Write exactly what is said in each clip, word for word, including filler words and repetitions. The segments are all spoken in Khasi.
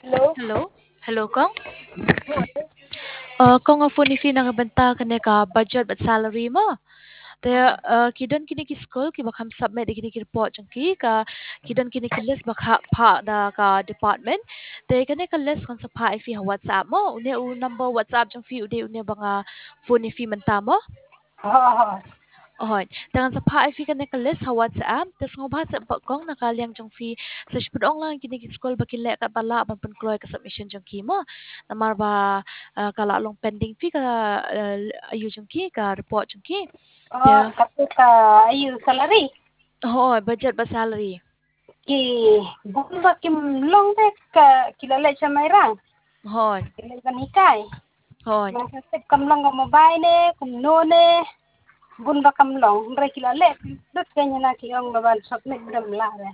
Hello. Hello. Hello, kong. Uh, kong, nga phone ïa phi na ka bynta kane ka budget bad salary mo. Te, uh, ki don kine ki skul kiba kham submit ïa kine ki report jong ki, ka ki don kine ki list ba kha phah da ka department. Te kane ka list kan sa phah ïa phi ha WhatsApp mo. Une u number WhatsApp jong phi u dei une ba nga phone ïa phi mynta mo. Hooid. Te ngan sa phah ïa phi kane ka list ha WhatsApp. Te sngewbha sa pat kong na ka liang jong phi sa shu pynong lang kine ki skul ba kin leh katba lah ban pynkloi ka submission jong ki mo. Namar ba, eh, ka la long pending phi ka, eh, ayu jong ki, ka report jong ki. Oh, ya. Kata ka ayu salary? Hooid, budget bad salary. Ki bun ba kim long te ka ki la leh sha Mairang. Hooid. Ki leh ban hikai. Hooid. Ngan sa tip kam long ka mobile ne, kumno ne. Bun ba kam long. Hynrei ki la leh. Dut ka nyana ki ong ba ban submit dam lah re.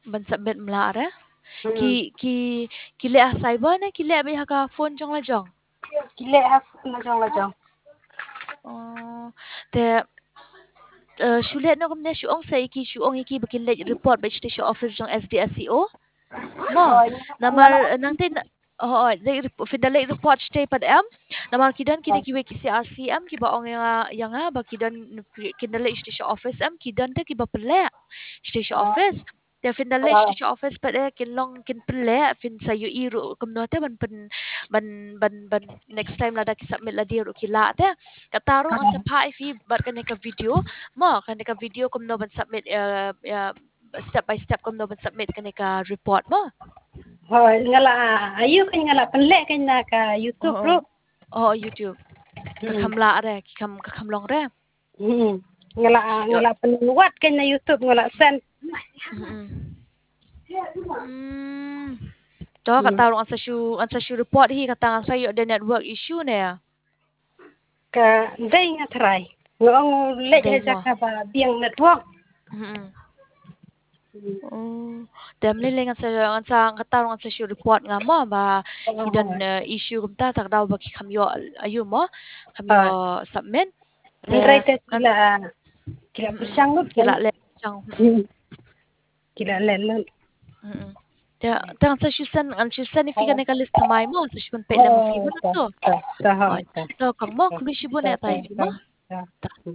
Ban submit mlah re. Hmm. Ki, ki, ki leh ha cyber ne, ki leh beit ha ka phone jong la jong. Ki leh ha phone la jong la jong. Oh, te, eh, shu leh noh kumne, shu ong sa ïa ki, shu ong ïa ki ba kin leit report beit sha office jong S D S E O. Mo, oh, namar, eh, nangta, oh, oh, leit rep-, phin da leit report shatei pat em. Namar ki don kine, oh, kiwei ki C R C em, kiba ong ïa nga, ïa nga ba ki don, kin da leit shatei office em, ki don te kiba pynleh shatei, oh, office. Te phin da leit, ah, sha office pat, eh, kin long kin pynleh, phin sa ïohi ruh kumno te ban pyn, ban, ban, ban next time lada ki submit lade ruh ki lah te. Kata ruh ngan sa phah ïa phi bad kane ka video. Mo, kane ka video kumno ban submit, eh, eh, step by step kumno ban submit kane ka report mo. Hooid, nga la, ayu kan nga la pynleh kan na ka YouTube ruh. Oh, YouTube. Ka kham lah re, ki kham, ka kham long re. Hmm. Nga la, nga la pynwad kan na YouTube, nga la send. Hmm. Hmm. To, kata ruh ngan sa shu, ngan sa shu report hi, kata ngan sa ïoh da network issue ne. Ka dei nga try. Nga ong leh ha jaka ba biang network. Hmm. Oh. Te ym lei lei ngan sa, ngan sa, kata ruh ngan sa shu report nga mo ba ki don, eh, issue kumta, ta ka daw ba ki kham ïoh ayu mo, kham ïoh submit. Hynrei te ki la, ki la pyrshang lut, ki la leh pyrshang. Hmm. Ki la leh lut. Hmm. Te, te ngan sa shu send, ngan shu send ïa phi kane ka list thymmai mo, sa shu pynpeit lem ïa phi mo to. To, kong mo, khublei shibun ïa tai phi mo. To.